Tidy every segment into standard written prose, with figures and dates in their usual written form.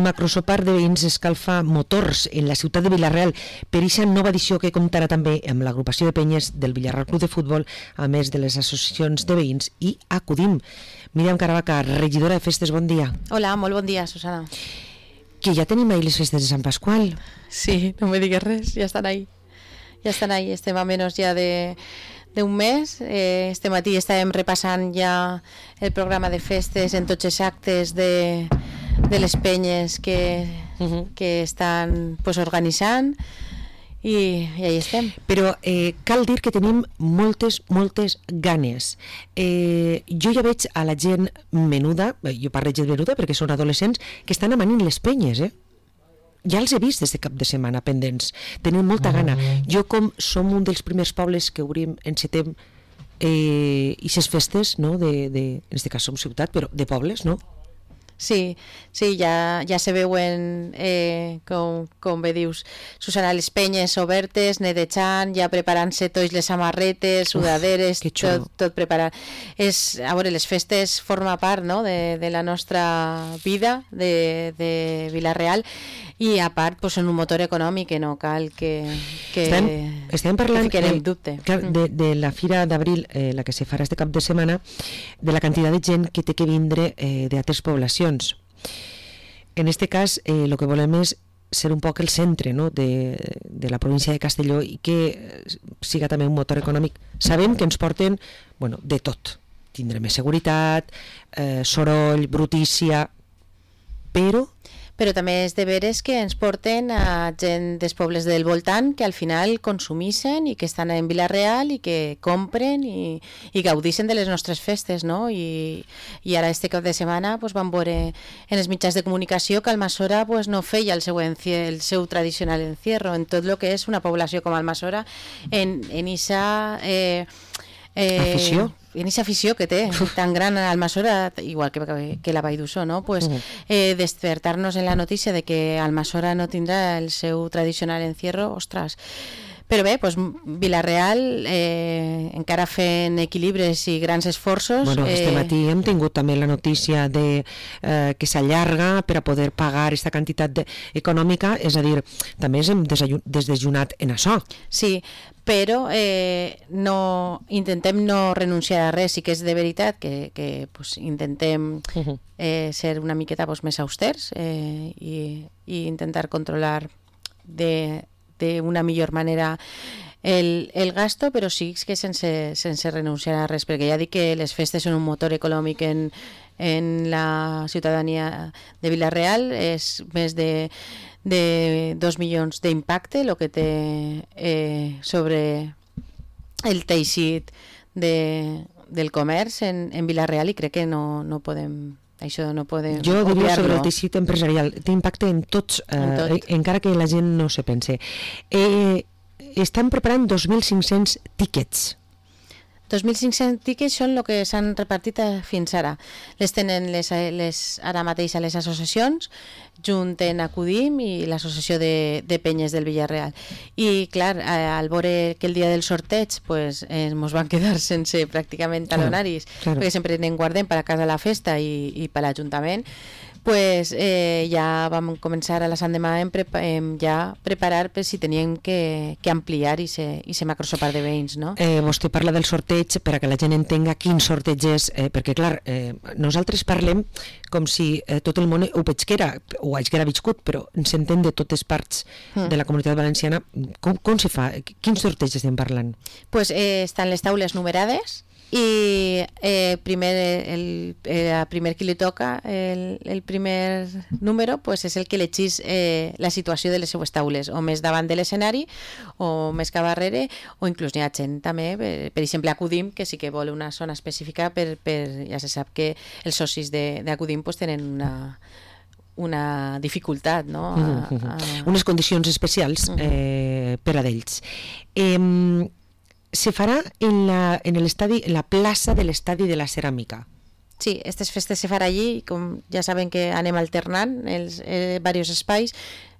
macrosopar de veïns escalfa motors en la ciutat de Vila-real per aquesta nova edició que comptarà també amb l'agrupació de penyes del Villarreal Club de Futbol, a més de les associacions de veïns i Acudim. Míriam Caravaca, regidora de festes, bon dia. Hola, molt bon dia, Susana. Que ja tenim ahí les festes de Sant Pasqual. Sí, no me digues res, ya están ahí. Ya están ahí, estem a menos ya de un mes. Este matí estàvem repassant ja el programa de festes en tots els actes de les penyes que estan pues, organitzant i ahí estem. Però cal dir que tenim moltes ganes. Jo ja veig a la gent menuda, jo parlo gent menuda perquè són adolescents, que estan amanint les penyes, ja els he vist des de cap de setmana pendents, tenen molta gana. Jo, com som un dels primers pobles que obrim en setembre aquestes festes, no? En aquest cas som ciutat, però de pobles, no? Sí, ja se veuen, com bé dius, Susana, les penyes obertes, netejant, ja preparant-se tots les samarretes, sudaderes, tot preparat. A veure, les festes forma part, no?, de la nostra vida de Vila-real, i a part pues, són un motor econòmic que no cal que estem parlant en dubte. De la Fira d'Abril, la que se farà este cap de setmana, de la quantitat de gent que té que vindre d'altres poblacions. En este cas, el que volem és ser un poc el centre, no?, de la província de Castelló i que siga també un motor econòmic. Sabem que ens porten de tot. Tindrem més seguretat, soroll, brutícia, però també és de veres que ens porten a gent dels pobles del voltant que al final consumissen i que estan en Vila-real i que compren i gaudixen de les nostres festes, no? I ara este cap de setmana pues, vam veure en els mitjans de comunicació que Almassora pues, no feia el seu tradicional encierro en tot el que és una població com Almassora en esa afició. En aquesta afició que té tan gran a Almassora, igual que la Vall d'Uixó, no? Pues, despertar-nos en la notícia de que Almassora no tindrà el seu tradicional encierro, ostres. Però bé, pues, Vila-real, encara fent equilibres i grans esforços. Este matí hem tingut també la notícia que s'allarga per a poder pagar aquesta quantitat econòmica, és a dir, també hem desdejunat en això. Sí, però intentem no renunciar a res. Sí que és de veritat que pues, intentem ser una miqueta pues, més austers i intentar controlar d'una millor manera el gasto, però sí que sense renunciar a res, perquè ja dic que les festes són un motor econòmic en la ciutadania de Vila-real. És més de 2 milions d'impacte el que té sobre el teixit del comerç en Vila-real, i crec que no podem... Això no podem jo diria sobre el teixit empresarial, té impacte en tots, encara que la gent no se pense. Estan preparant 2.500 tíquets. 2.500 tíquets són el que s'han repartit fins ara. Les tenen ara mateix a les associacions, junt en Acudim i l'associació de penyes del Villarreal. I clar, al veure que el dia del sorteig pues, ens van quedar sense pràcticament talonaris, perquè sempre en guardem per a casa la festa i per l'Ajuntament, pues, ja vam començar a la Sant Demà ja preparar per si teníem que ampliar i ser macrosopar de veïns, no? Vostè parla del sorteig per a que la gent entenga quin sorteig és, perquè clar, nosaltres parlem com si tot el món ho pesquera o haguera viscut, però s'entén de totes parts de la comunitat valenciana. Com se fa? Quins sorteig estem parlant? Pues estan les taules numerades i primer qui li toca el primer número pues és el que elegís la situació de les seues taules, o més davant de l'escenari o més cap darrere, o inclús n'hi ha gent també, per exemple Acudim, que sí que vol una zona específica ja se sap que els socis d'Acudim pues tenen una dificultat, no? Unes condicions especials per a d'ells. Se farà en l'estadi, la plaça de l'estadi de la Ceràmica. Sí, aquestes festes se farà allí, com ja saben que anem alternant els diversos espais.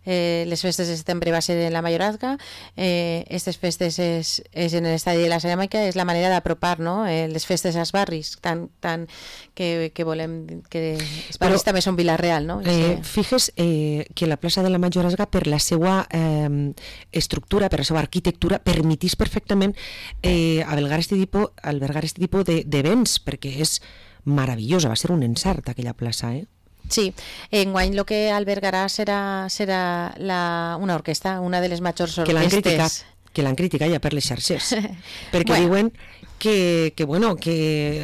les festes de setembre va ser en la Mayorazga, aquestes festes és en l'estadi de la ceràmica, és la manera d'apropar, no? Les festes als barris, tant que volem que els barris també són Vila-real, no? Fixes que la plaça de la Mayorazga, per la seva estructura, per la seva arquitectura, permetís perfectament albergar este tipus d'events, perquè és meravellosa, va ser un encert aquella plaça, Sí, enguany el que albergarà serà una orquestra, una de les majors orquestes. Que l'han criticat ja per les xarxes, perquè diuen que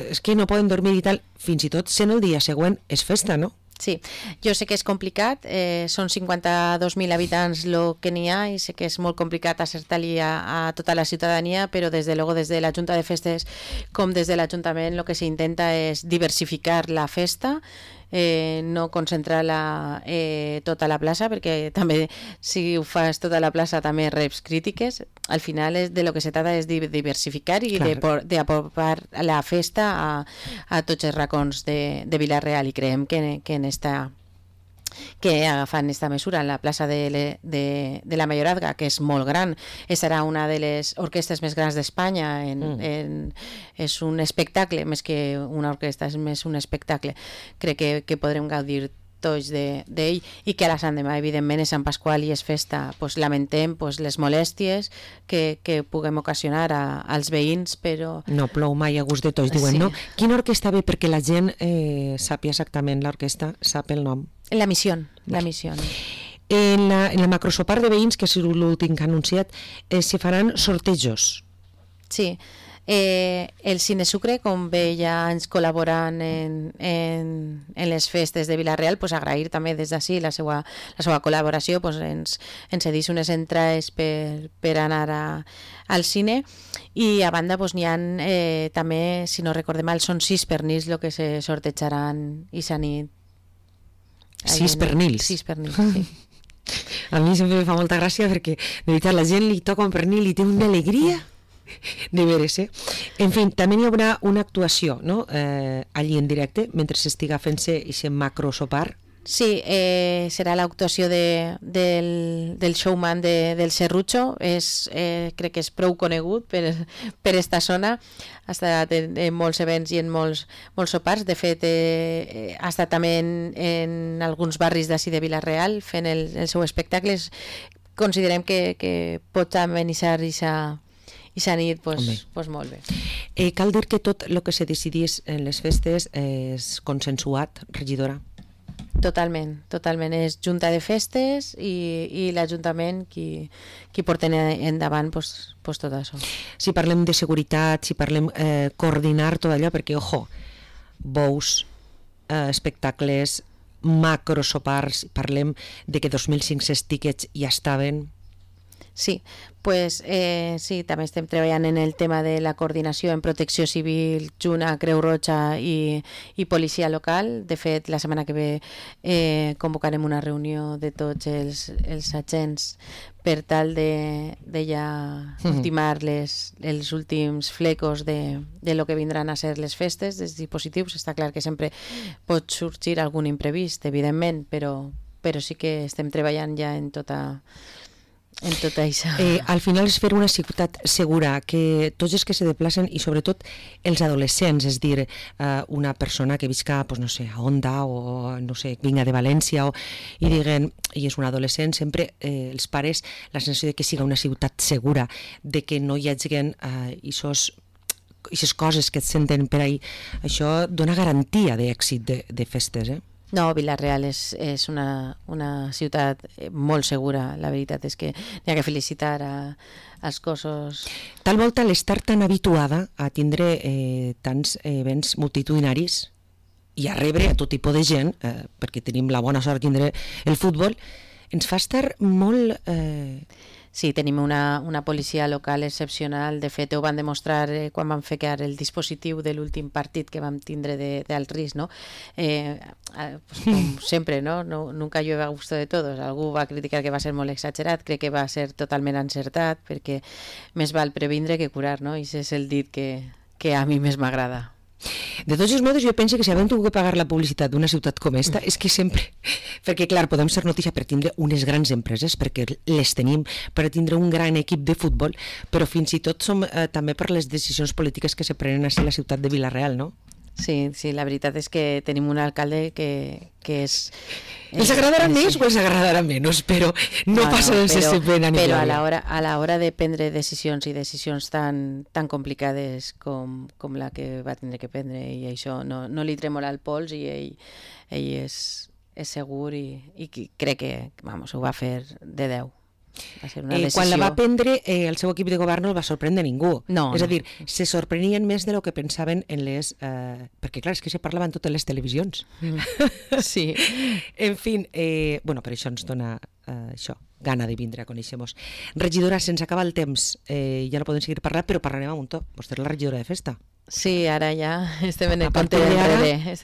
és que no poden dormir i tal, fins i tot sent el dia següent és festa, no? Sí, jo sé que és complicat, són 52.000 habitants el que n'hi ha i sé que és molt complicat acertar-li a tota la ciutadania, però des de luego des de la Junta de Festes com des de l'Ajuntament el que s'intenta és diversificar la festa, no concentrar-la tota la plaça, perquè també si ho fas tota la plaça també reps crítiques. Al final de lo que se trata és de diversificar i d'apropar la festa a tots els racons de Vila-real, i creiem que agafant esta mesura en la plaça de la Mayorazga, que és molt gran, serà una de les orquestes més grans d'Espanya, és un espectacle més que una orquestra, és més un espectacle. Crec que podrem gaudir tots d'ell, i que a la Sant Demà evidentment és Sant Pasqual i és festa, lamentem les molèsties que puguem ocasionar als veïns, però... No plou mai a gust de tots, diuen, no? Quina orquestra ve perquè la gent sàpia exactament l'orquestra, sap el nom? La Misión. En la macrosopar de veïns, que és l'últim que ha anunciat, s'hi faran sortejos. Sí, el Cine Sucre, com bé ja ens col·laboren en les festes de Vila-real, agrair també des d'ací la seva col·laboració, ens cedís unes entrades per anar al cine, i a banda n'hi ha també, si no recordem mal, són 6 pernils el que se sortejaran i s'ha nit. 6 pernils? 6 pernils, sí. A mi sempre me fa molta gràcia perquè de veritat la gent li toca un pernil i té una alegria de veres, En fi, també hi haurà una actuació, no? Allí en directe, mentre s'estiga fent-se aquest macrosopar. Sí, serà l'actuació del showman del Serrucho, crec que és prou conegut per esta zona, ha estat en molts events i en molts sopars. De fet, ha estat també en alguns barris d'ací de Vila-real fent el seu espectacle. Considerem que pot amenitzar i s'ha nit molt bé. Cal dir que tot el que se decidís en les festes és consensuat, regidora? Totalment. És Junta de Festes i l'Ajuntament qui porten endavant tot això. Si parlem de seguretat, si parlem coordinar tot allò, perquè, ojo, bous, espectacles, macrosopars, parlem de que 2.500 tíquets ja estaven... Sí, sí, també estem treballant en el tema de la coordinació en protecció civil, Juna, Creu Roja i policia local. De fet, la setmana que ve convocarem una reunió de tots els agents per tal de ja ultimar els últims flecos de lo que vindran a ser les festes, dels dispositius. Està clar que sempre pot sorgir algun imprevist, evidentment, però sí que estem treballant ja en tot això. Al final és fer una ciutat segura, que tots els que se desplacen, i sobretot els adolescents, és dir, una persona que visca, no sé, a Onda o no sé, vinga de València i diguen, i és un adolescent, sempre els pares la sensació de que siga una ciutat segura, de que no hi hagi aquestes coses que et senten per ahí. Això dona garantia d'èxit de festes, No, Vila-real és una ciutat molt segura. La veritat és que n'hi ha que felicitar als cossos. Tal volta l'estar tan habituada a tindre tants events multitudinaris i a rebre a tot tipus de gent, perquè tenim la bona sort de tindre el futbol, ens fa estar molt... Sí, tenim una policia local excepcional. De fet, ho van demostrar quan vam fer el dispositiu de l'últim partit que vam tindre del risc, no? Com sempre, no? Nunca llueve a gusto de todos. Algú va criticar que va ser molt exagerat, crec que va ser totalment encertat, perquè més val previndre que curar, no? I és el dit que a mi més m'agrada. De tots els modos, jo penso que si havem tingut que pagar la publicitat d'una ciutat com esta, és que sempre... Perquè, clar, podem ser notícia per tindre unes grans empreses, perquè les tenim, per tindre un gran equip de futbol, però fins i tot som també per les decisions polítiques que se prenen a la ciutat de Vila-real, no? Sí, la veritat és que tenim un alcalde que és... Els agradarà més o els agradarà menys, però no passa sense pena ni glòria. Però a l'hora de prendre decisions i decisions tan complicades com la que va tindre que prendre, i això no li tremola el pols, i ell és segur i crec que ho va fer de 10. Quan la va prendre, el seu equip de govern no el va sorprendre ningú. És a dir, se sorprenien més de lo que pensaven en les... perquè, clar, és que se parlava en totes les televisions. Sí. En fi, per això ens dona gana de vindre a conèixer-nos. Regidora, se'ns acaba el temps. Ja no podem seguir parlant, però parlarem a un to. Vostè és la regidora de festa. Sí, ara ja estem en el compte enrere.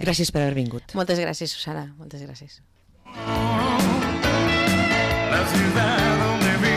Gràcies per haver vingut. Moltes gràcies, Susana. Moltes gràcies. La ciudad